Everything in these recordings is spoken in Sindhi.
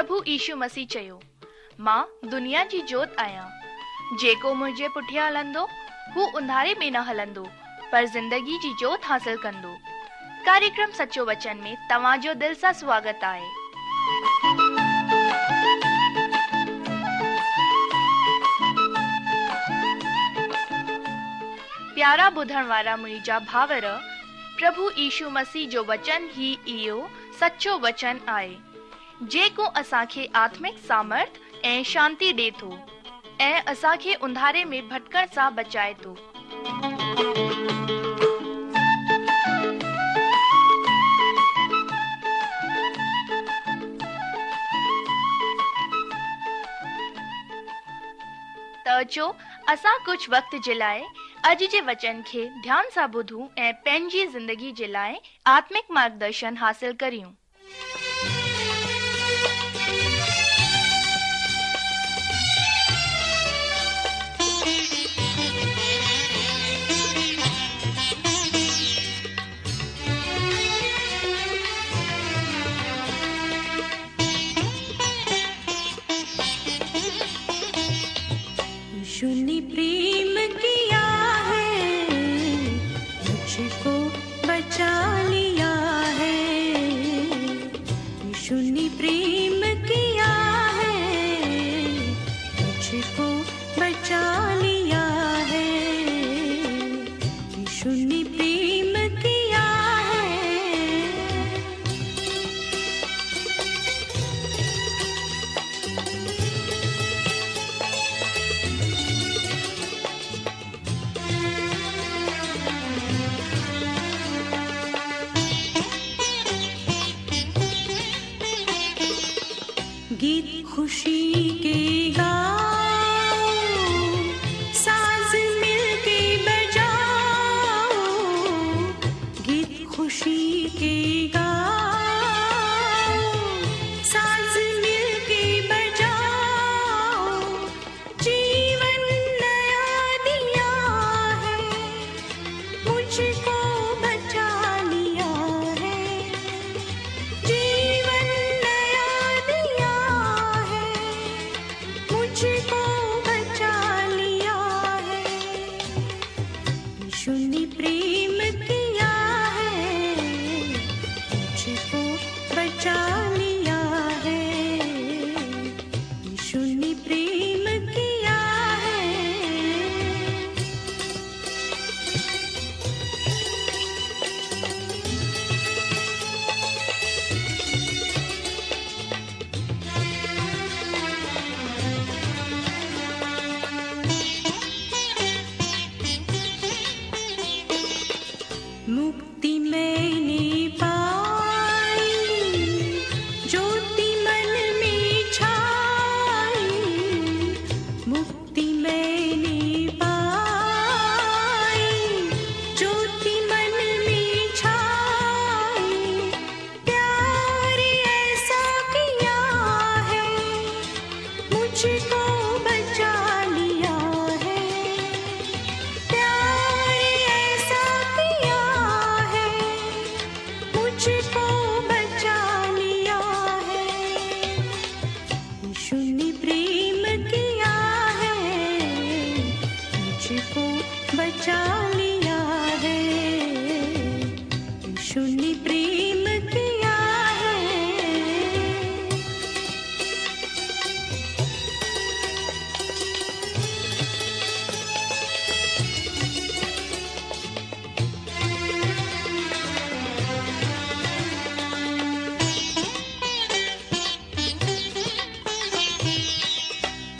پرڀو يشو مسيح چيو، مان دنيا جي جوت آهيان. جيڪو منهنجي پٺيان هلندو، هو انڌاري ۾ نه هلندو، پر زندگي جي جوت حاصل ڪندو. ڪاريڪرم سچو وچن ۾ توهان جو دل سان سواگت آهي. پيارا ٻڌڻ وارا منهنجا ڀائر، پرڀو يشو مسيح جو وچن ئي اهو سچو وچن آهي. جيڪو اسان کي آتمڪ سامرٿ ۽ شانتي ڏي ٿو ۽ اسان کي انڌاري ۾ ڀٽڪڻ سان بچائي ٿو. ته اچو اسان ڪجهه وقت جي لاء اڄ جي وچن کي ڌيان سان ٻڌون ۽ پنهنجي زندگي جي لاء آتمڪ مارگدرشن حاصل ڪريون. يشو ني پريم ڪيا هي مجهڪو بچا ليا هي يشو ني پريم ڪيا هي مجهڪو بچا ليا هي يشو ني پريم ڪيا هي. گيت خوشي ڪي گائو ساز مل ڪي بجائو گيت خوشي ڪي گائو ساز مل ڪي بجائو جيون نيا ديا هي مجهڪو بچا ليا هي جيون نيا ديا هي مجهڪو بچا ليا هي يشو ني پريم ڪيا هي مجهڪو بچا ليا هي يشو ني پريم ڪيا هي. مڪتي مين ني پائي جوتي من ۾ ڇائي مڪتي مين ني پائي جوتي من ۾ ڇائي پيار ايسا ڪيا هي مجهڪو بچا ليا هي پيار ايسا ڪيا هي مجهڪو بچا ليا هي يشو ني پريم ڪيا هي مجهڪو بچا ليا هي يشو ني پريم ڪيا هي.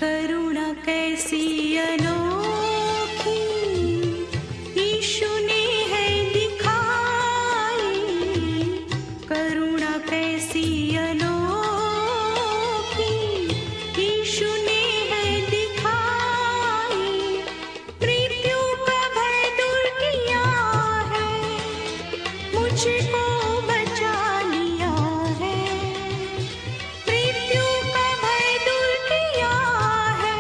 ڪرڻا ڪيسي انوکي يشو ني هي دکائي ڪرڻا ڪيسي انوکي يشو ني هي دکائي مرتيو ڪا ڀي دور ڪيا هي مجهڪو بچا ليا هي مرتيو ڪا ڀي دور ڪيا هي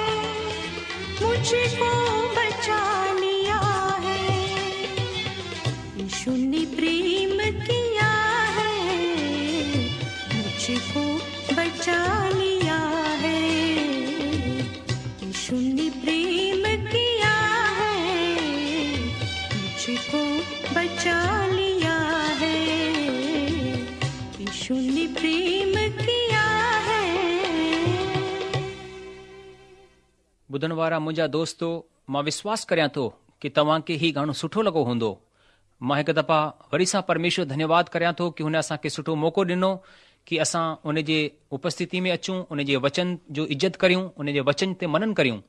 مجهڪو بچا ليا هي يشو ني پريم ڪيا هي مجهڪو بچا ٻڌڻ وارا منهنجا دوستو، مان وشواس ڪريان ٿو ڪي توهان کي هي گاڻو سٺو لڳو هوندو. مان هڪ دفعا وري سان پرميشور ڌنيواد ڪريان ٿو ڪي هن اسان کي سٺو موقعو ڏنو ڪي اسان ان جي اپسٿتي ۾ اچون، ان جي وچن جو عزت ڪريون، ان جي وچن تي منن ڪريون.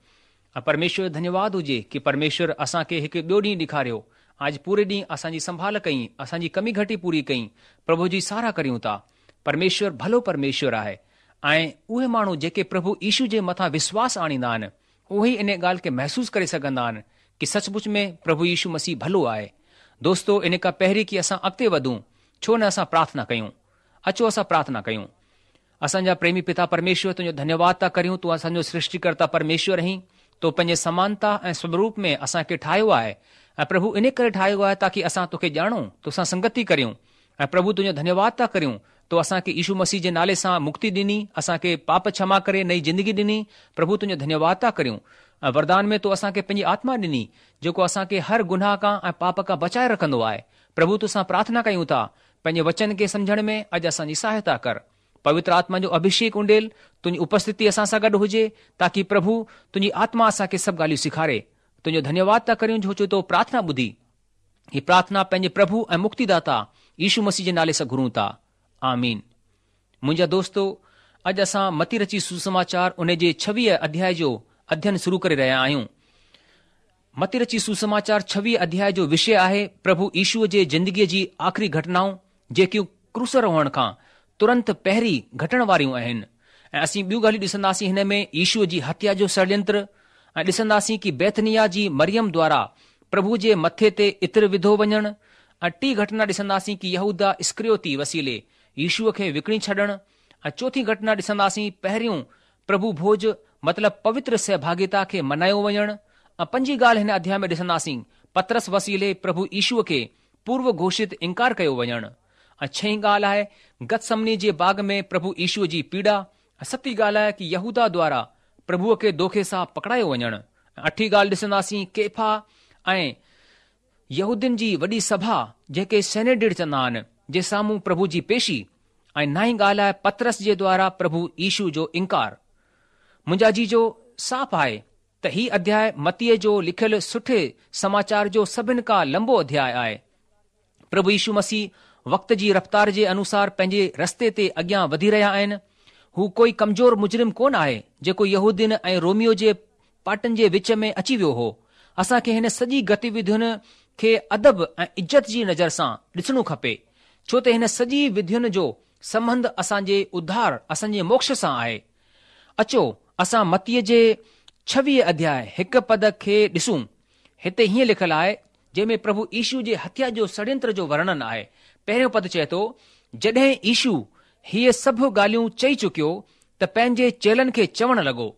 ۽ پرميشور جو ڌنيواد هجي ڪي پرميشور اسان کي هڪ ٻيو ڏينهن ڏيکاريو ۽ اڄ پوري ڏينهن اسان جي سنڀال ڪئين، اسان جي ڪمي گهٽي پوري ڪئين، پرڀو جي ساراهه ڪريون ٿا. پرميشور ڀلو پرميشور آهي ۽ اهي ماڻهو جيڪي پرڀو يشو جي مٿان وشواس آڻيندا آهن، اهي ئي ان ڳالهه کي محسوس ڪري سگهندا آهن ڪي سچ پچ ۾ پرڀو يشو مسيح ڀلو آهي. دوستو ان کان پهرين ڪي اسان اڳتي وڌون ڇو نه اسان پرارٿنا ڪيون. اچو اسان پرارٿنا ڪيون. اسان جا پريمي پتا پرميشور تنهنجو ڌنيواد ٿا ڪريون تون اسان جو سرشٽيڪرتا پرميشور آهين تو پنهنجي سمانتا ۽ سوروپ ۾ اسان کي ٺاهيو آهي ۽ پرڀو انهي ڪري ٺاهيو آهي تاڪي اسان توکي ڄاڻون توسان سنگتي ڪريون ۽ پرڀو تنهنجو ڌنيواد ٿا ڪريون تو اسان کي يشو مسيح جي نالي سان مڪتي ڏني اسان کي پاپ ڇما ڪري نئين زندگي ڏني پرڀو تنهنجو ڌنيواد ٿا ڪريون ۽ وردان ۾ تو اسان کي پنهنجي آتما ڏني جيڪو اسان کي هر گناهه کان ۽ پاپ کان بچائي رکندو آهي پرڀو توسان پرارٿنا ڪيون ٿا پنهنجي وچن کي سمجهڻ ۾ اڄ اسان جي سهائتا ڪر. پوتر آتما جو اڀشيڪ اونڊيل، تنهنجي اپسٿتي اسان سان گڏ هجي، تاڪي پرڀو، تنهنجي آتما اسان کي سڀ ڳالهيون سيکاري. تنهنجو ڌنيواد ٿا ڪريون ڇو جو تو پرارٿنا ٻڌي. هي پرارٿنا پنهنجي پرڀو ۽ مڪتيداتا يشو مسيح جي نالي سان گهرون ٿا. آمين. منهنجا دوستو، اڄ اسان متي رچي سوسماچار ان جي ڇويهه اڌياء جو اڌين شروع ڪري رهيا آهيون. متي رچي سوسماچار ڇويهه اڌياء جو وشي آهي پرڀو يشوء جي زندگيء جي آخري گهٽنائون جيڪيون ڪروساروهڻ کان ترنت پهرين گهٽڻ واريون آهن ۽ اسين ٻيون ڳالهيون ڏسنداسين هن ۾ يشوء جي هتيا جو षڙينتر ۽ ڏسنداسين ڪي بيٿنيا جي مريم دوارا پرڀو جي مٿي تي عطر وڌو وڃڻ ۽ ٽي گهٽنا ڏسنداسين ڪي يهوداه اسڪريوتي وسيلي يشوء کي وڪڻي ڇڏڻ ۽ چوٿين گهٽنا ڏسنداسين پهريون پرڀو ڀوج مطلب پوتر سهڀاڳيتا کي منايو وڃڻ ۽ پنجين ڳالهه هن اڌياء ۾ ڏسنداسين پطرس وسيلي پرڀو يشوء کي پورو گهوشت انڪار ڪيو وڃڻ ۽ ڇهين ڳالهه آهي گتسمني جي باغ ۾ پرڀو يشوء جي پيڙا ۽ ستين ڳالهه آهي ڪي يهوداه دوارا پرڀوء کي دوکي سان پڪڙايو وڃڻ ۽ اٺين ڳالهه ڏسنداسين ڪيفا ۽ يهودين جي وڏي سڀا جنهن کي سينيڊرين چوندا آهن جي سامهون پرڀو جي پيشي ۽ نائين ڳالهه آهي پطرس جي دوارا پرڀو يشو جو انڪار. منهنجا عزيزو صاف آهي ته هي اڌياء متيء جو لکيل سٺي سماچار جو سڀن کان لنبو اڌياء آهي. پرڀو يشو مسيح وقت جي رفتار جي انوسار پنهنجي رستي تي اڳيان وڌي رهيا آهن. هو ڪوئي ڪمزور مجرم ڪونه آهي جيڪو يهودين ۽ روميو جي پاٽن جي وچ ۾ اچي ويو هو. اسان کي هن سڄي گتيوڌين کي ادب ۽ عزت جي نظر سان ڏسڻو کپي، ڇو ته هن سڄي وڌين جو سنٻنڌ اسان جي اڌار، اسان جي موڪش سان آهي. اچو اسان متيء جي ڇويهه اڌياء هڪ پد کي ڏسون. هتي هيئن لکيل آهي، جنهن ۾ پرڀو يشو جي هتيا جو سڙينتر جو ورڻن آهي. پهريون پد چئي ٿو، جڏهن يشو هيء سڀ ڳالهيون چئي چڪيو ته پنهنجي چيلن کي چوڻ لڳو.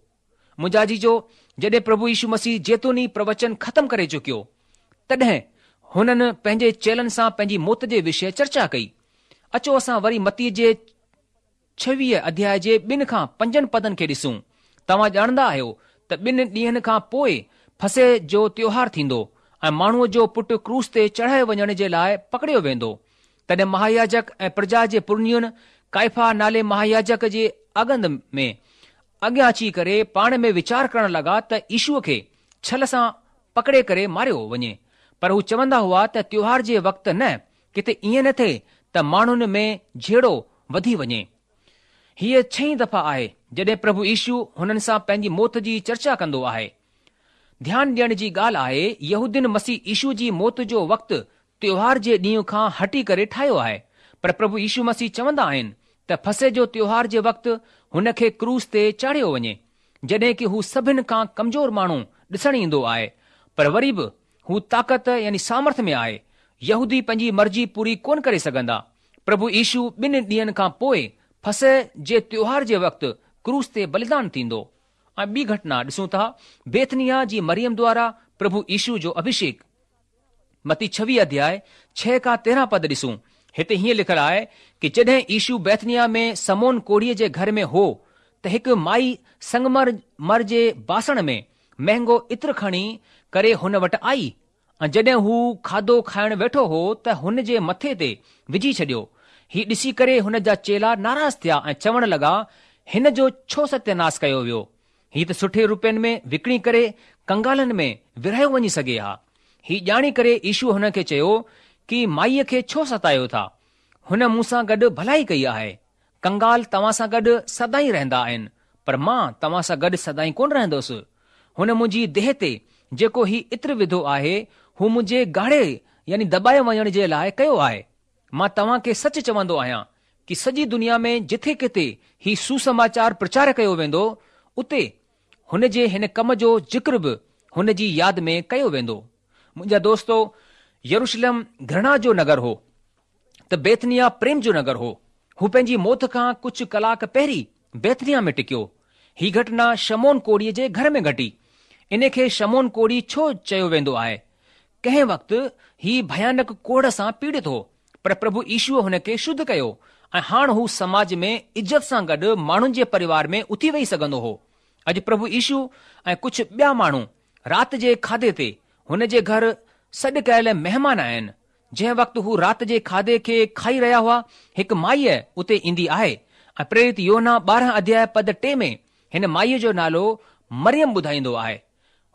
منهنجا عزيزو، جڏهن پرڀو يشو مسيح زيتوني پروچن ختم ڪري چڪيو، تڏهن هنن پنهنجي چيلن سان پنهنجي موت جي وشيه چرچا ڪئي. اچو اسان وري متيء جي ڇويهه اڌياء جي ٻن کان پنجن پدن کي ڏسون. توهان ڄاڻندا آهيو ته ٻن ڏينهن کان پوء فصح جو تيوهار ٿيندو ۽ ماڻهوء جو پٽ ڪروس تي چڙهائي وڃڻ جي لاء پڪڙيو ويندو. تڏهن مهاياجڪ ۽ پرجا جي پرنين ڪائفا نالي مهاياجڪ جي اڳند ۾ اڳيان اچي ڪري پاڻ ۾ ويچار ڪرڻ لڳا ته يشوء کي ڇل سان پڪڙي ڪري ماريو وڃي. پر هو چوندا هئا ته تيوهار جي وقت نه، ڪٿي ائين نه ٿئي ته ماڻهن ۾ جهيڙو وڌي وڃي. هيء ڇهين دفعا آهي جڏهن پرڀو يشو هنن سان پنهنجي موت جي چرچا ڪندو آهي. ڌيان ڏيڻ جي ڳالهه آهي، يهودين مسيح يشو جي موت جو وقت تيوهار جي ڏينهن کان هٽي ڪري ٺاهيو آهي، پر پرڀو يشو مسيح چوندا آهن ته فصح جو تيوهار جي وقت هن کي ڪروس تي چاڙهيو وڃي، جڏهن ڪي هو سڀن کان ڪمزور ماڻهو ڏسڻ ايندو آهي، پر وري به هو طاقت يعني سامرٿ ۾ آهي. يهودي پنهنجي مرضي پوري ڪونه ڪري سگهندا. پرڀو يشو ٻن ڏينهن کان پوء فصح جي تيوهار جي وقت ڪروس تي بليدان ٿيندو. ۽ ٻي گهٽنا ڏسون ٿا بيٿنيا جي مريم دوارا پرڀو يشو جو اڀشيڪ. متي ڇويهه اڌياء ڇهه کان 13 پد ڏسون. هتي هيئن لکيل آهي ڪي جڏهن يشو بيٿنيا ۾ سمون ڪوڙهيء جي گهر ۾ هو ته هڪ مائي سنگمر مر جي باسڻ ۾ مهنگو عطر کڻي ڪري هن وٽ آئي ۽ جڏهن هو کاڌو کائڻ ويٺو هو ته هن جي مٿي تي وجهي ڇڏيو. هي ڏسي ڪري هن جا چيلا ناراض ٿيا ۽ چوڻ لڳا، هن جو ڇو ستياناس ڪيو ويو؟ هي ته سٺي روپين ۾ وڪڻي ڪري ڪنگالن ۾ ورهايو وڃي سگهي ها. هي ڄاڻي ڪري يشوء هن کي چيو ڪي مائيء کي ڇو ستايو ٿا؟ هن مون سان گڏ ڀلائي ڪئي آهي. ڪنگال توهان سان گڏ سدائين رهندا آهن، پر مان توهان سان گڏ سدائين ڪونه رهندس. هن منهنجي ديهه تي جيڪو هي عطر وڌو آهي، هو منهنجي گاڙي يعني دٻائي وڃڻ جي لاء ڪيو آهي. مان توهان کي سچ چوندو آهيان ڪي سڄي دنيا ۾ جٿي ڪٿي هي سوسماچار پرچار ڪيو ويندو، اتي هن جي هن ڪم جو ذڪر به هن جي ياد ۾ ڪيو ويندو. منهنجا دوستو، يروشلم گهرڻا جو نگر هو ته بيٿنيا پريم جو نگر هو. هو پنهنجي موت کان ڪجهه ڪلاڪ پهرين بيٿنيا ۾ ٽڪيو. هي گهٽنا شمعون ڪوڙهيء جي گهر ۾ گهٽي. ان کي شمعون ڪوڙهي ڇو چيو ويندو آهي؟ ڪنهن وقت هي ڀيانڪ ڪوڙهه سان پيڙت هو، پر پرڀو يشوء هن کي شڌ ڪيو ۽ هاڻ هو سماج ۾ عزت سان گڏ ماڻهن جي پريوار ۾ اٿي ويهي سگهندو هو. اڄ پرڀو يشو ۽ ڪجهه ٻيا ماڻهو رات جي کاڌي تي هن جي گهر سڏ ڪيل مهمان آهن. جنهن وقت هو رات جي کاڌي کي کائي رهيا هئا، هڪ مائيء اتي ايندي آهي ۽ پريرت يوحنا 12 اڌياء پد 3 ۾ هن مائيء جو نالو مريم ٻڌائيندو آهي.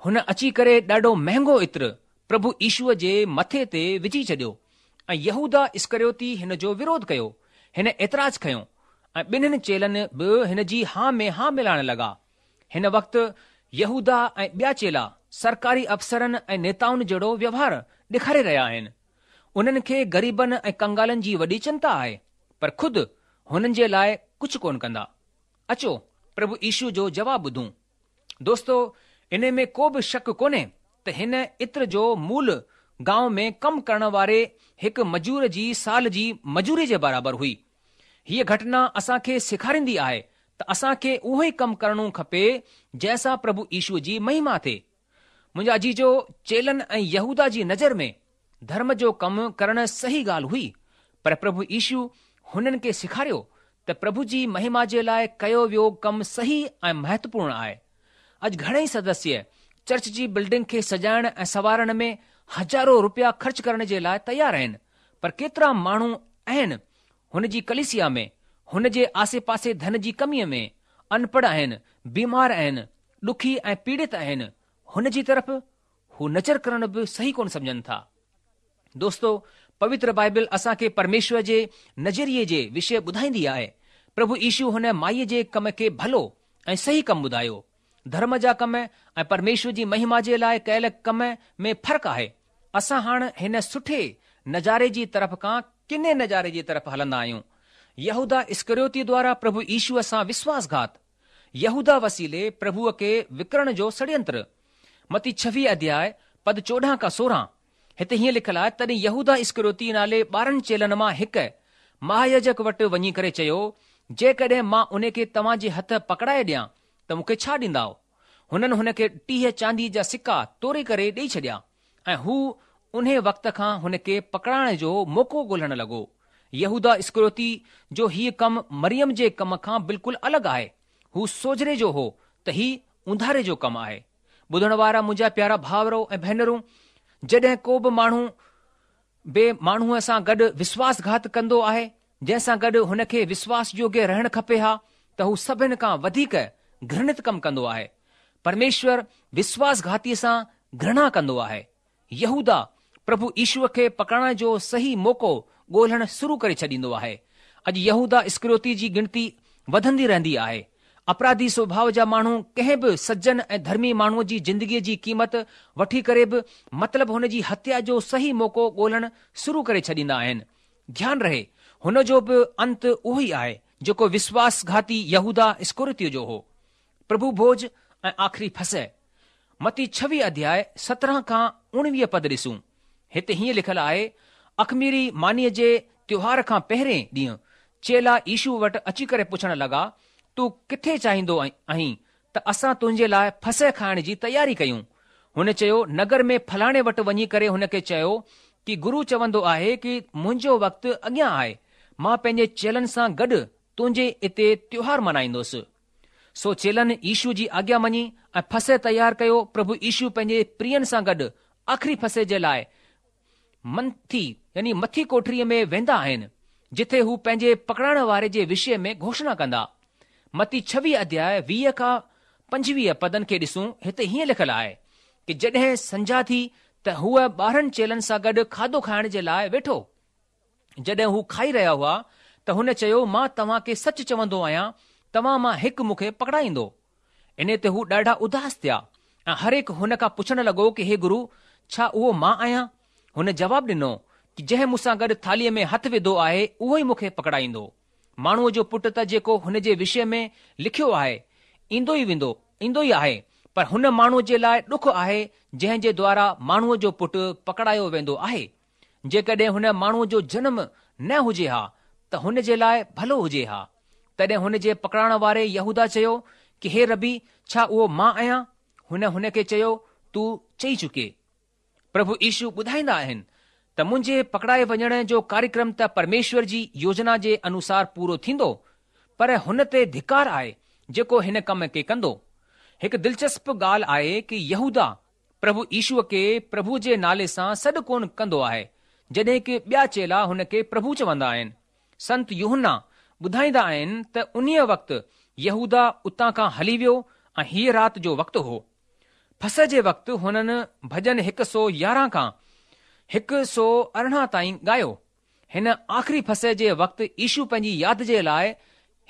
هن اچي ڪري ڏاڍو مهنگو عطر پرڀو يشوء جي مٿي تي وجهي ڇڏيو ۽ يهوداه اسڪريوتي هن جو وروڌ ڪيو. هن اعتراض کنيو ۽ ٻنهين چيلن به هن جي ها ۾ ها ملائڻ لڳا. هن وقت يهوداه ۽ ٻيا چيلا سرڪاري افسرن ۽ نيتائن جهڙو ويوهار ڏيکاري رهيا آهن. انهن کي غريبن ۽ ڪنگالن جي وڏي چنتا آهي، پر خود هنن جي لاء ڪجهه ڪونه ڪندا. اچو پرڀو يشوء جو جواب ٻڌون. دوستو انهي ۾ ڪو به شڪ ڪونهي ته هن عطر جو مول گانء ۾ ڪم ڪرڻ واري هڪ مزور جي سال جي مزوري جي برابر هئي. هيء گهٽنا اسان کي سيکاريندي آهي ته اسان کي اهو ئي ڪم ڪرڻو کپي جنهن سان پرڀو يشوء جي مهما ٿئي. منهنجا عزيزو چيلن ۽ يهوداه جي نظر ۾ ڌرم جو ڪم ڪرڻ صحيح ڳالهه هئي، پر پرڀو يشو هنن کي سيکاريو ته پرڀو جي مهما جي لاء ڪيو ويو ڪم صحيح ۽ مهتوپورڻ آهي. اڄ گهڻئي سدسيه چرچ جي بلڊنگ کي سجائڻ ۽ سنوارڻ ۾ هزارو روپيا خرچ ڪرڻ جي لاء تيار آهن، پر ڪيترا ماڻهو آهن هن جي ڪليسيا ۾ هن جي آسي پاسي ڌن جي ڪميء ۾ انپڙهه آهن، بيمار آهن، ڏکي ۽ پيڙت آهن، هن جي طرف هو نظر ڪرڻ به صحيح ڪونه سمجهن ٿا. دوستو، پوتر بائبل اسان کي پرميشور جي نظريي جي وشيه ٻڌائيندي آهي. پرڀو يشو هن مائيء جي ڪم کي ڀلو ۽ صحيح ڪم ٻڌايو. ڌرم جا ڪم ۽ پرميشور جي مهما جي لاء ڪيل ڪم ۾ فرق آهي. اسان هاڻ هن سٺي نظاري جي طرف کان ڪني نظاري جي طرف هلندا آهيون. يهوداه اسڪريوتي دوارا پرڀو يشوء سان وشواس گهات. يهوداه وسيلي پرڀوء کي وڪڻڻ جو سڙينتر. متي ڇويهه اڌياء، پد 14 کان 16، هتي هيئن لکيل آهي، تڏهن يهوداه اسڪريوتي نالي 12 چيلن مان هڪ، مهاياجڪ وٽ وڃي ڪري چيو، جيڪڏهن مان ان کي توهان جي هٿ پڪڙائي ڏيان ته مون کي ڇا ڏيندائو؟ هنن هن کي 30 چانديء جا سڪا توري ڪري ڏيئي ڇڏيا ۽ هو انهي وقت کان هن کي پڪڙائڻ جو موقعو ڳولڻ لڳو. يهوداه اسڪريوتي جو هيء ڪم مريم جي ڪم کان بلڪل الڳ آهي. هو سوجهري جو هو ته هي اونڌاري جو ڪم آهي. ٻڌڻ وارا منهنجا پيارا ڀائرو ۽ ڀينرون، جڏهن ڪو به ماڻهو ٻئي ماڻهوء سان گڏ وشواس گهات ڪندو آهي، جنهن سان گڏ هن کي وشواس يوگيه رهڻ کپي ها ته هو سڀن کان وڌيڪ گهرڻت ڪم ڪندو آهي. پرميشور وشواس گهاتيء سان گهرڻا ڪندو آهي. يهوداه پرڀو يشوء کي پڪڙائڻ جو صحيح موقعو ڳولڻ شروع ڪري ڇڏيندو آهي. اڄ يهوداه اسڪريوتي جي ڳڻتي وڌندي رهندي آهي. اپراڌي سوڀاء جا ماڻهو ڪنهن به سجن ۽ ڌرمي ماڻهوء جي زندگيء جي قيمت وٺي ڪري به مطلب هن جي هتيا جو صحيح موقعو ڳولڻ شروع ڪري ڇڏيندا آهن. ڌيان رهي هن جو به انت اهو ئي آهي جيڪو وشواس گهاتي يهوداه اسڪريوتيء جو هو. پرڀو ڀوج ۽ آخري فصح. متي ڇويهه اڌياء 17 کان 19 پد ڏسون. هتي هيئن لکيل آهي، اخميري مانيء جي تيوهار کان پهرين ڏينهن چيلا يشوء وٽ اچي ڪري پڇڻ لڳا، تون ڪٿي چاهيندو آهين ته اسان تنهنجي لاء فصح کائڻ جي تياري ڪيون؟ هن چيو، نگر ۾ فلاڻي وٽ وڃي ڪري هن کي چئو ڪي گرو چوندو آهي ڪي منهنجو وقت اڳيان آهي، مان پنهنجي چيلن سان گڏ تنهنجي اتي تيوهار منائيندس. سو چيلن يشوء جي آگيا مڃي ۽ فصح تيار ڪيو. پرڀو يشو پنهنجي پرين سان گڏ آخري فصح جي لاء منٿي يعني مٿي ڪوٺڙيء ۾ ويندا آهن، جٿي هو پنهنجي پڪڙائڻ واري جي وشيه ۾ گهوشڻا ڪندا. متي ڇويهه اڌياء 20 کان 25 پدن کي ڏسون هتي هيئن لکيل آهي ڪي جڏهن سنجها ٿي ته هو 12 چيلن سان گڏ کاڌو کائڻ جي لاء ويٺو. جڏهن هو کائي رهيا هئا ته هن چيو مان توهان کي سچ چوندو آهيان توهان مان هڪ مون کي پڪڙائيندو. انهي تي هو ڏاڍا اداس ٿيا ۽ هر هڪ هن کان پڇڻ لڳو ڪي هي گرو ڇا اهو مان آهيان؟ هن جواب ڏنو ڪي جنهن مون سان گڏ ٿالهيء ۾ هٿ وڌو آهي اهو ئي مون کي پڪڙائيندو. ماڻهوء جو پٽ ته جيڪو هن جي وشي ۾ لکيو آهي، ايندو ئي ويندو، ايندو ئي آهي، پر هن ماڻهوء جي لاء ڏک آهي جنهن جي دوارا ماڻهوء جو پٽ پڪڙايو ويندو آهي. جيڪڏهن هن ماڻهوء جو جنم نه هجي ها ته هن جي لاء ڀلو هجي ها. تڏهن هن جي پڪڙائڻ واري يهوداه چيو ڪي هي ربي ڇا اهو مان آهيان؟ هن هن کي چيو، تون چئي چڪي. پرڀو يشو ٻڌائيندا آهن ته منهنجي پڪڙائي وڃڻ جو ڪاريڪرم ته پرميشور جي يوجنا جي انوسار پورو ٿيندو، پر هن تي ڌڪار آهي جيڪو هن ڪم کي ڪندو. هڪ دلچسپ ڳالهه آهي ڪي يهوداه پرڀو يشو کي پرڀو جي نالي سان سڏ ڪونه ڪندو آهي، جڏهن ڪي ٻيا چيلا هن کي پرڀو چوندا آهن. سنت يوحنا ٻڌائيندا آهن ته انهيء وقت يهوداه اتان کان هلي ويو ۽ هيء رات جو وقت هو. فصح جي وقت هنن ڀڄن 111 کان 118 تائين ڳايو. هن آخري فصح جي وقت يشو پنهنجي ياد جي لاء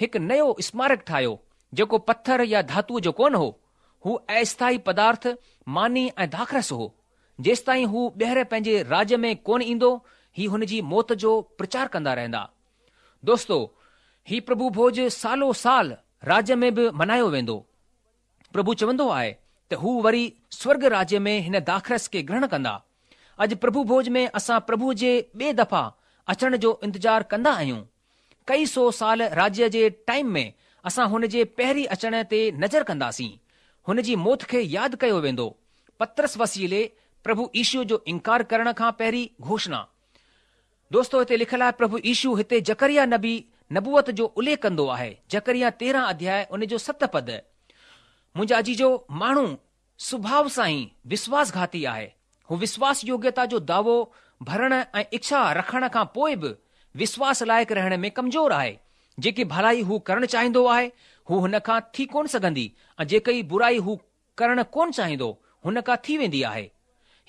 هڪ نيو اسمارڪ ٺاهيو، جيڪو پٿر يا ڌاتوء جو ڪونه هو. هو اسٿائي پدارٿ، ماني ۽ داخرس هو. جيستائين هو ٻيهر پنهنجي راڄ ۾ ڪونه ايندو، هي هن جي موت جو پرچار ڪندا رهندا. دوستو! هي پرڀو ڀوڄ سالو سال راڄ ۾ به منايو ويندو. پرڀو چوندو آهي ته هو وري سورڳ راجيه ۾ هن داخرس کي گرهڻ ڪندا. اڄ پرڀو ڀوڄ ۾ اسان پرڀوء جي ٻي دفعا اچڻ جو انتظار ڪندا آهيون. ڪئي سو سال راجيه جي ٽائيم ۾ اسان هن جي پهرين اچڻ تي نظر ڪنداسين. هن جي موت کي ياد ڪيو ويندو. پطرس وسيلي پرڀو يشو جو انڪار ڪرڻ کان پهرين گهوشڻا. دوستو هتي لکيل آهي پرڀو يشو هتي زڪريا نبي نبوت جو اليک ڪندو آهي زڪريا 13 اڌياء ان جو 7 پد منهنجا عزيزو ماڻهو سڀاء سان ئي وشواس گهاتي آهي هو وشواس يوگيتا جو دعوو ڀرڻ ۽ اڇا رکڻ کان پوء به وشواس لائق رهڻ ۾ ڪمزور آهي جيڪي ڀلائي هو ڪرڻ چاهيندو آهي هو هن کان ٿي ڪونه سگهندي ۽ جيڪي برائي هو ڪرڻ ڪونه چاهيندو، هن کان ٿي ويندي آهي.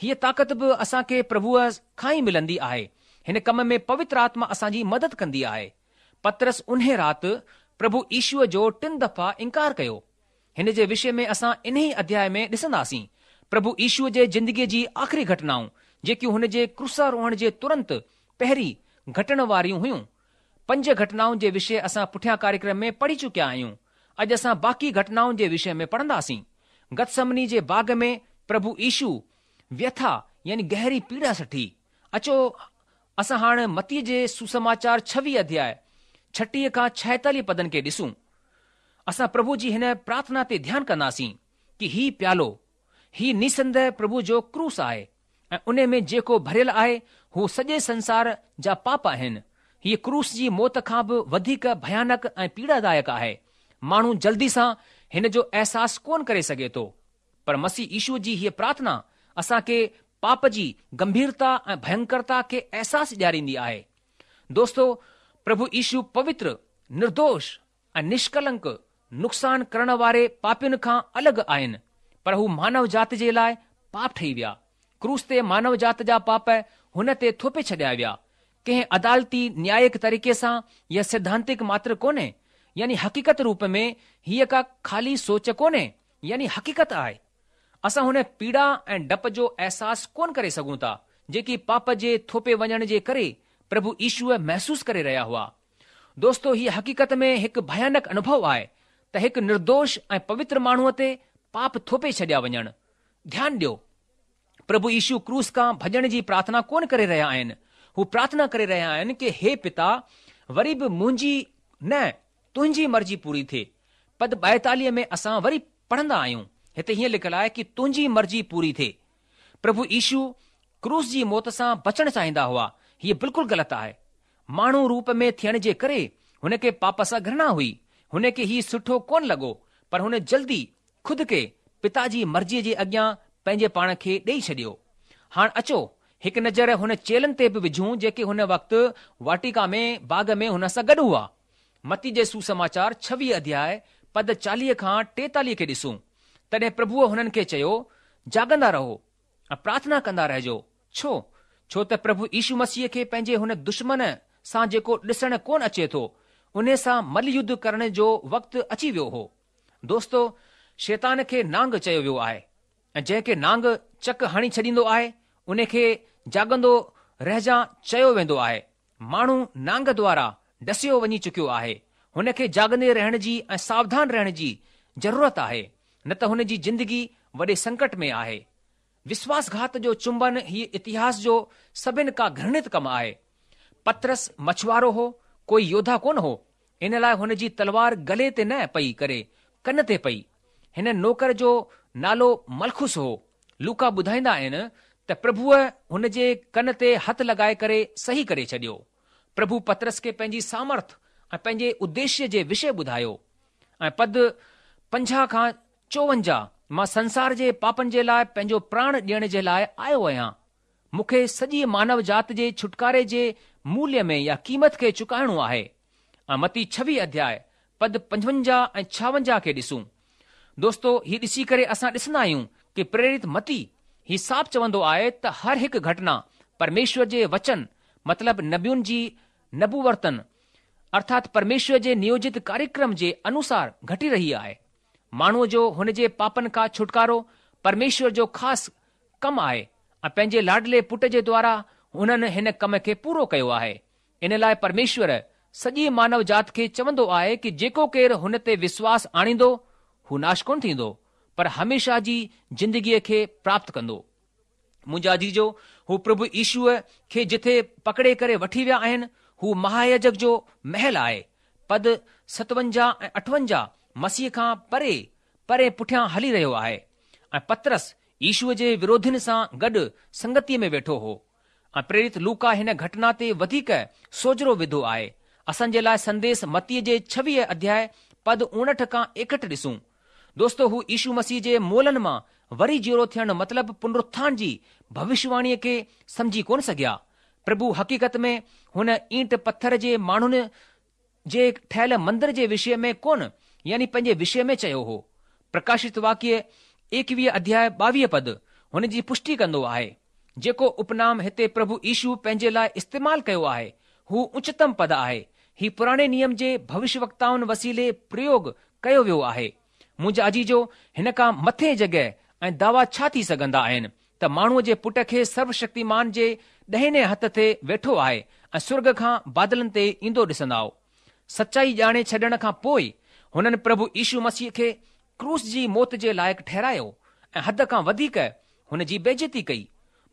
هيء طاقت به اسان کي پرڀوء کان ئي ملندي آهي. هن ڪم ۾ پوتر آتما اسان جي مدد ڪندي آهي. پطرس انهيء رات پرڀو يشوء جو ٽن دفعا انڪار ڪيو. هن جي وشي ۾ اسان انهيء اڌياء ۾ ڏسنداسين. پرڀو يشوء جي زندگيء جي آخري گهٽنائون، جيڪيون هن جي ڪروساروهڻ جي ترنت پهرين گهٽڻ واريون هيون. پنج گهٽنائن جي وشي اسان پٺيان ڪاريڪرم ۾ پڙهي چڪيا آهيون. اڄ اسان باقي گهٽنائن جي وشي ۾ پڙهنداسين. گتسمني جي باغ ۾ پرڀو يشو ويٿا يعني گهري پيڙا سٺي. اچو اسان هاڻ متي جي سوسماچار 26 اڌياء 36 کان 46 پدن کي ڏسون. اسان پرڀو جي هن پرارٿنا تي ڌيان ڪنداسين ڪي هي پيالو، هي نسنديهه پرڀو جو ڪروس آهي. ۽ انهي ۾ جيڪو ڀريل آهي هو سڄي سنسار جا پاپ آهن. هيء ڪروس جي موت کان به وڌيڪ ڀيانڪ ۽ پيڙادائڪ آهي. ماڻهو جلدي سان هن جو احساس ڪونه ڪري سگهي ٿو. پر مسيح يشوء جي هيء پرارٿنا اسان کي پاپ جي گنڀيرتا ۽ ڀينڪرتا کي احساس ڏياريندي آهي. دوستو! پرڀو يشو پوتر، نردوش ۽ نشڪلنڪ نقصان ڪرڻ واري پاپين کان الڳ آهن، پر هو مانو ذات جي لاء پاپ ٺهي ويا. ڪروس تي مانو ذات جا پاپ هن تي ٿوپي ڇڏيا ويا. ڪنهن عدالتي نيايڪ طريقي سان يا سڌانتڪ ماتر ڪونهي، يعني حقيقت روپ ۾ هيء ڪا خالي سوچ ڪونهي، يعني حقيقت آهي. اسان هن پيڙا ۽ ڊپ جو احساس ڪونه ڪري سگهون ٿا، جيڪي پاپ جي ٿوپي وڃڻ جي ڪري پرڀو يشوء محسوس ڪري رهيا هئا. دوستو هيء حقيقت ۾ هڪ ڀيانڪ انوڀو آهي ته هڪ نردوش ۽ پوتر ماڻهوء تي پاپ ٿوپي ڇڏيا وڃڻ. ڌيان ڏيو، پرڀو يشو ڪروس کان ڀڄڻ جي پرارٿنا ڪونه ڪري رهيا آهن. هو پرارٿنا ڪري رهيا آهن ڪي هي پتا، وري به منهنجي نه، تنهنجي مرضي پوري ٿئي. پد 42 ۾ اسان وري پڙهندا آهيون، هتي هيئن لکيل آهي ڪي تنهنجي مرضي پوري ٿئي. پرڀو يشو ڪروس جي موت سان بچڻ چاهيندا هئا، هيء بلڪل غلط آهي. ماڻهو روپ ۾ ٿيڻ جي ڪري هن کي پاپ سان گهرڻا هئي. هن کي هي سٺو ڪونه لڳو، پر هن جلدي خود کي پتا جي مرضيء جي اڳيان پنهنجي پاڻ کي ڏيئي ڇڏيو. هاڻ اچو هڪ نظر هن چيلن تي به وجهون جيڪي هن وقت واٽيڪا ۾ باغ ۾ هن سان گڏ هئا. متي جي سوسماچار 26 اڌياء پد 40 کان 43 کي ڏسون. تڏهن پرڀوء هنن کي چيو، جاڳندا رهو ۽ پرارٿنا ڪندا رهجو. ڇو؟ ڇو ته پرڀو يشو مسيح کي پنهنجي هن دشمن سان جيڪو ڏسڻ ڪونه اچي ٿو، انهي سان مل يڌ ڪرڻ جو وقت اچي ويو هو. دوستو! شيطان کي نانگ چيو ويو آهي ۽ جنهن کي نانگ چڪ هڻي ڇڏيندو آهي، انهي کي جاڳندو رهجان چيو ويندو آهي. ماڻهو نانگ دوارا ڊسيو وڃي چڪيو آهي. هن کي جاڳندي رهڻ جي ۽ ساوڌان رهڻ جي ضرورت آهي، نه ته هن جي زندگي وڏي سنڪٽ ۾ آهي. وشواس گهات جو چمبن هي اتهاس جو سڀن کان گهرڻت ڪم آهي. پطرس مڇوارو هو، ڪوئي يوڌا ڪونه هو، ان لاء هن جي تلوار گلي تي نه پئي ڪري ڪن تي پئي. هن نوڪر جو نالو ملخس هو. لوڪا ٻڌائيندا آهن ته پرڀوء هن جي ڪن تي هٿ لڳائي ڪري صحيح ڪري ڇڏيو. پرڀو پطرس کي پنهنجي سامرٿ ۽ پنهنجي اديشيه جي وشيه ٻڌايو ۽ پد 50 کان 54 مان سنسار جي پاپن جي لاء پنهنجو پراڻ ڏيڻ جي لاء آيو آهيان. مون کي سڄي مانو جات جي ڇوٽڪاري جي موليه ۾ يا قيمت کي چڪائڻو آهي. ۽ متي 26 اڌياء پد 55 ۽ 56 کي ڏسون. دوستو هي ڏسي ڪري اسان ڏسندا آهيون ڪي پريرت متي هي صاف چوندو آهي ته هر هڪ گهٽنا پرميشور جي وچن مطلب نبين جي نبوورتن ارٿات پرميشور جي نيوجت ڪاريڪرم جي انوسار گهٽي رهي آهي. ماڻهوء جو هن جي پاپن کان ڇوٽڪارو پرميشور جو خاص ڪم آهي ۽ پنهنجي لاڏلي پٽ جي دوارا هنن هن ڪم کي پورو ڪيو آهي. ان لاء پرميشور سڄي مانو جات کي چوندو آهي ڪي جيڪو ڪير هن تي وشواس آڻيندو هو ناش ڪونه ٿيندو پر هميشه جي زندگيء کي پراپت ڪندو. منهنجا عزيزو، هو پرڀو يشوء کي جٿي پڪڙي ڪري وٺي ويا آهن، هو مهاياجڪ جو محل آهي. پد 57 ۽ 58 مسيح کان پري پري پٺيان هلي رهيو آهي ۽ پطرس يشوء جي وروڌين سان گڏ سنگتيء ۾ ويٺو هو. ۽ پريرت لوڪا هن گهٽنا تي وڌيڪ سوجهرو وڌو آهي. اسان جي لاء سنديس متيء جي 26 اڌياء پد 59 کان 61 ڏسون. دوستو هو يشو مسيح جي مئلن مان وري جيئرو ٿيڻ مطلب پنرٿان جي ڀوشواڻيء کي سمجهي ڪونه سگهيا. پرڀو حقيقت ۾ هن اينٽ پٿر جي ماڻهن جي ٺهيل مندر جي وشيه ۾ ڪونه يعني پنهنجي وشيه ۾ چيو هو. پرڪاشت واڪيه ايڪويهه اڌياء 22 پد هن جي پشٽي ڪندو آهي. جيڪو اپنام هتي پرڀو يشو پنهنجي لاء استعمال ڪيو آهي، هو اچتم پد آهي. هي پراڻي نيم جي ڀوشيوڪتائن وسيلي پريوگ ڪيو ويو آهي. منهنجا عزيزو، هن کان مٿي جڳهه ۽ دعوا ڇا ٿي سگهندا آهن ته ماڻهوء جي پٽ کي سروشڪتيمان جي ڏهيني هٿ تي ويٺو آهي ۽ سرڳ کان بادلن تي ايندو ڏسندائو. سچائي ڄاڻي ڇڏڻ کان پوء هنن پرڀو يشو مسيح کي ڪروس جي موت جي لائق ٺهرايو ۽ حد کان وڌيڪ هن جي بيعزتي ڪئي.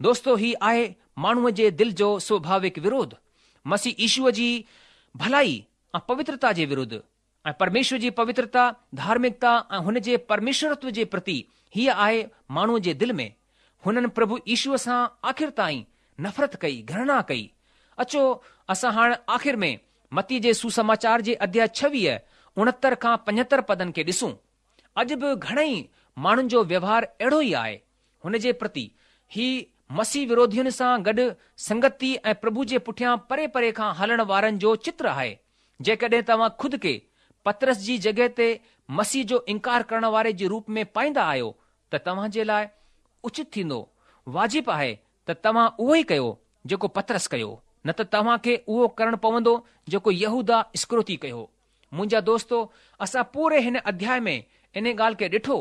دوستو هي آهي ماڻهوء جي دل جو سوڀاوڪ وروڌ، مسيح يشوء جي ڀلائي ۽ پوترتا جي ورڌ ۽ پرميشور جي پوترتا، ڌارمڪتا ۽ هن جي پرميشورتو جي پرتي هيء آهي ماڻهوء جي دل ۾. هنن پرڀو يشوء سان آخر تائين نفرت ڪئي، گهرڻا ڪئي. اچو اسان هاڻ آخر ۾ متيء جي سوسماچار جي اڌياء 26، 69 کان 75 پدن کي ڏسون. اڄ به گهڻئي ماڻهن جو ويوهار اهڙو ئي آهي. هن جي پرتي، هي مسيح وروڌين سان گڏ سنگتي ۽ پرڀو جي پٺيان پري پري کان هلڻ وارن جو چتر آهي. جيڪڏهن توهان خود کي پطرس جي جڳهه تي مسيح جو انڪار ڪرڻ واري جي روپ ۾ پائيندا آهيو ته توهان جي لاء اچت ٿيندو، واجب آهي ته توهان اهو ئي ڪيو جيڪو پطرس ڪيو، نه ته توهان کي اهو ڪرڻ پوندو جيڪو يهوداه اسڪريوتي ڪيو. منهنجا دوستو، اسان پوري هن اڌياء ۾ انهي ڳالهه کي ڏٺو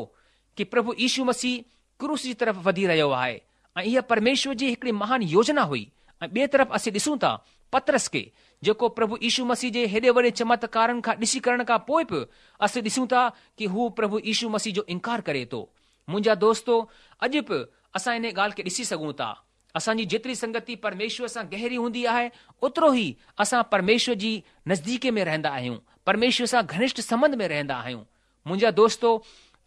ڪي پرڀو يشو مسيح ڪروس جي طرف وڌي رهيو آهي ۽ اها پرميشور جي هڪڙي مهان يوجنا هئي ۽ ٻئي طرف اسين ڏسون ٿا پطرس کي جيڪو پرڀو يشو مسيح جي هيڏي وڏي چمتڪارن کان ڏسي ڪرڻ کان پوء به اسين ڏسون ٿا ڪي هو پرڀو يشو مسيح جو انڪار ڪري ٿو. منهنجا دوستو اڄ به اسان انهي ڳالهه کي ڏسي سگهون ٿا. اسان جي جيتري سنگتي پرميشور سان گهري هوندي آهي اوترو ئي اسان پرميشور جي نزديڪي ۾ رهندا آهيون، پرميشور سان گهنشٽ سنٻنڌ ۾ رهندا آهيون. منهنجا دوستو،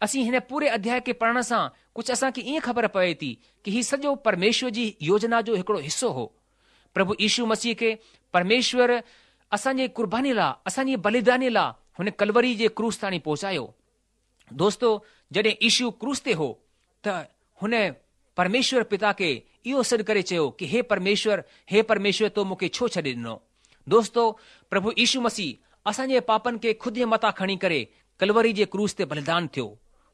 اسين هن پوري اڌياء کي پڙهڻ سان ڪجهه اسان کي ائين خبر پوي ٿي ڪي هي سڄو پرميشور جي يوجنا جو هڪڙو حصو هو. پرڀو يشو مسيح کي پرميشور اسان جي قرباني لاء، اسان جي بليداني لاء هن ڪلوري جي ڪروس تاڻي پهچايو. دوستو، جڏهن يشو ڪروس تي هو ته هن پرميشور پتا کي اهو سڏ ڪري چيو ڪي هي پرميشور، هي پرميشور تو مون کي ڇو ڇڏي ڏنو؟ دوستو، پرڀو يشو مسيح اسان جي پاپن کي خود جي مٿان کڻي ڪري ڪلوري جي ڪروس تي بليدان ٿيو.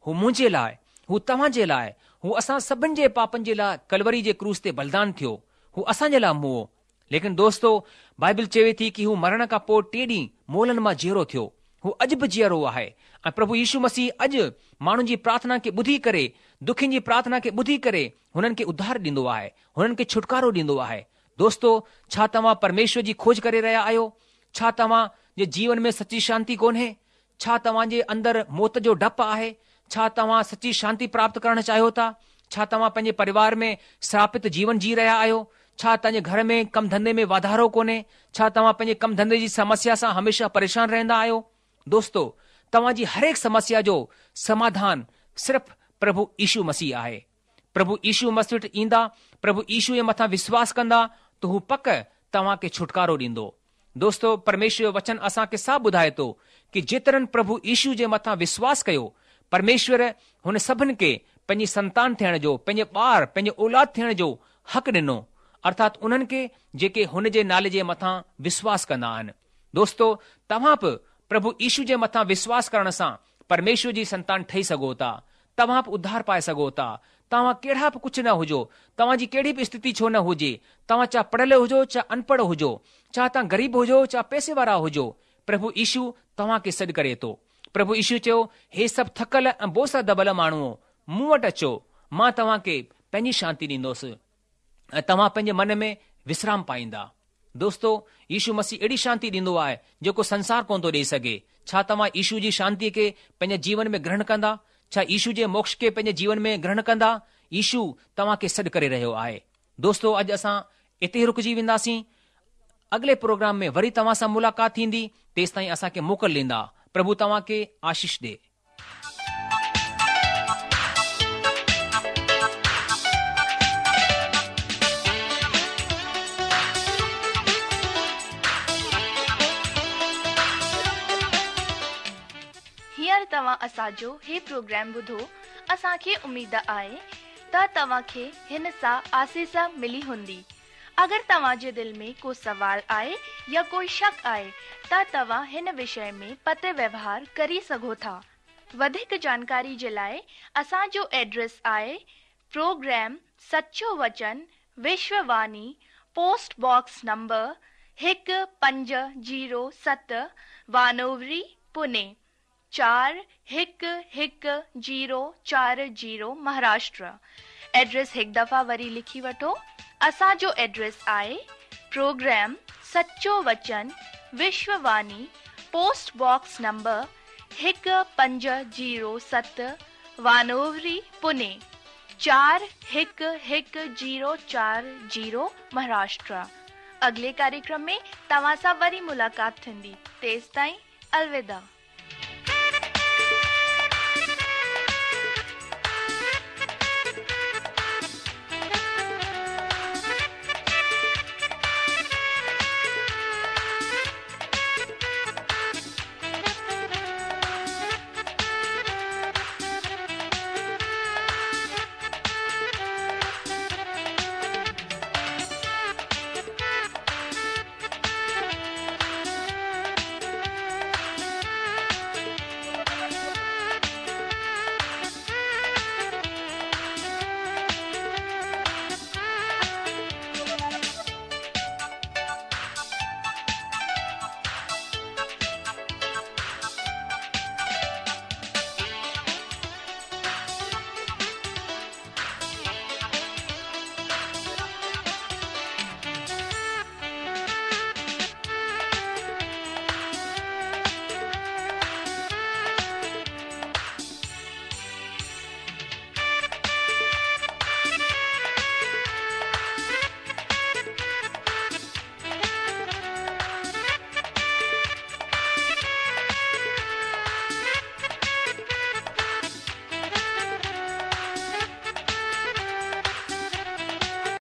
هو منهنجي لاء، هو توهان جي لاء، هو اسان سڀن جي پاپن جي لاء ڪلوري جي ڪروس تي بليدان ٿيو. هو اسان جي لاء موئو. ليڪن دوستو، بائبل چوي ٿي ڪي هو مرڻ کان پوء ٽئين ڏينهن مئلن مان جيئرو ٿيو. هو اڄ به جيئرو آهي ۽ پرڀو يشو مسيح اڄ ماڻهن جي پرارٿنا کي ٻڌي ڪري، دکين جي پرارٿنا کي ٻڌي ڪري هنن کي اڌار ڏيندو آهي، هنن کي ڇوٽڪارو ڏيندو آهي. دوستو، ڇا توهان پرميشور جي کوج ڪري رهيا آهيو؟ ڇا توهان جي جيون ۾ سچي شانتي ڪونهي؟ ڇا توهان جي اندر موت جو ڊپ آهي؟ ڇا توهان سچي شانتي پراپت ڪرڻ چاهيو ٿا؟ ڇا توهان پنهنجي پريوار ۾ سراپت جيون جي رهيا آهيو؟ ڇا توهان جي گهر ۾ ڪم ڌنڌي ۾ واڌارو ڪونهي؟ ڇا توهان پنهنجي ڪم ڌنڌي جي سمسيا سان هميشه پريشان رهندا آهيو؟ دوستو، توهان جي هرهڪ سمسيا جو سماڌان صرف پرڀو يشو مسيح آهي. پرڀو يشو مسيح وٽ ايندا، پرڀو يشو جي مٿان وشواس ڪندا ته هو پڪ توهان کي ڇوٽڪارو ڏيندو. دوستو، پرميشور جو وچن اسان کي صاف ٻڌائي ٿو ڪي جيترن پرڀو يشو جي مٿان وشواس ڪيو، پرميشور هن سڀن کي پنهنجي سنتان ٿيڻ جو، پنهنجي ٻار، پنهنجي اولاد ٿيڻ جو حق ڏنو، ارٿات انهن کي جيڪي هن جي نالي جي مٿان وشواس ڪندا آهن. دوستو، توهان به پرڀو يشو جي مٿان وشواس ڪرڻ سان پرميشور جي سنتان ٺهي سگهو ٿا. توهان به اڌار پائي سگهو ٿا. توهان ڪهڙا به ڪجهه نه هجو، توهان جي ڪهڙي به اسٿتي ڇو نه هجي، توهان چاهه پڙهيل هجو چاهه انپڙهه هجو، چاهه توهان غريب هجو چاهه پئسي وارا هجو، پرڀو يشو توهان کي سڏ ڪري ٿو. پرڀو يشو چيو، هي سڀ ٿڪل ۽ بوجه سان دٻل ماڻهوء، مون وٽ اچو، مان توهان کي پنهنجي شانتي ڏيندوس ۽ توهان پنهنجي من ۾ وسرام پائيندا. دوستو، يشو مسيح اهڙي شانتي ڏيندو آهي، جيڪو سنسار ڪونه ٿو ڏيئي سگهي. ڇا توهان يشو جي شانتيء کي پنهنجي جيون ۾ گرهڻ ڪندا؟ ڇا يشو جي موڪش کي پنهنجي جيون ۾ گرهڻ ڪندا؟ يشو توهان کي سڏ ڪري رهيو آهي. دوستو، اڄ اسان اتي ئي رڪجي وينداسين. اڳلي پروگرام ۾ وري توهان سان ملاقات ٿيندي، تيستائين اسان کي موڪل ڏيندا. پرڀو توهان کي آشيش ڏي. هينئر توهان اسان جو هي پروگرام ٻڌو اسان کي اميد آهي ته توهان کي هن سان آسيس ملي هوندي. اگر توهان جي دل ۾ ڪو سوال آهي يا ڪوئي شڪ آهي ته توهان هن وشي ۾ پتر ويوهار ڪري سگهو ٿا. وڌيڪ جانڪاري جي لاء اسان جو ايڊريس آهي پروگرام سچو وچن وشو واني پوسٽ باڪس نمبر 1507 وانووري پوني چار هڪ هڪ زيرو چار زيرو مهاراشٽر ايڊريس هڪ دفعا وري لکي وٺو اسان جو ايڊريس آهي پروگرام سچو وچن وشو واني پوسٽ باڪس نمبر 1507 وانووري پوني چار هڪ هڪ زيرو چار زيرو مهاراشٽر اڳلي ڪاريڪرم ۾ توهان سان وري ملاقات ٿيندي تيستائين الوداع.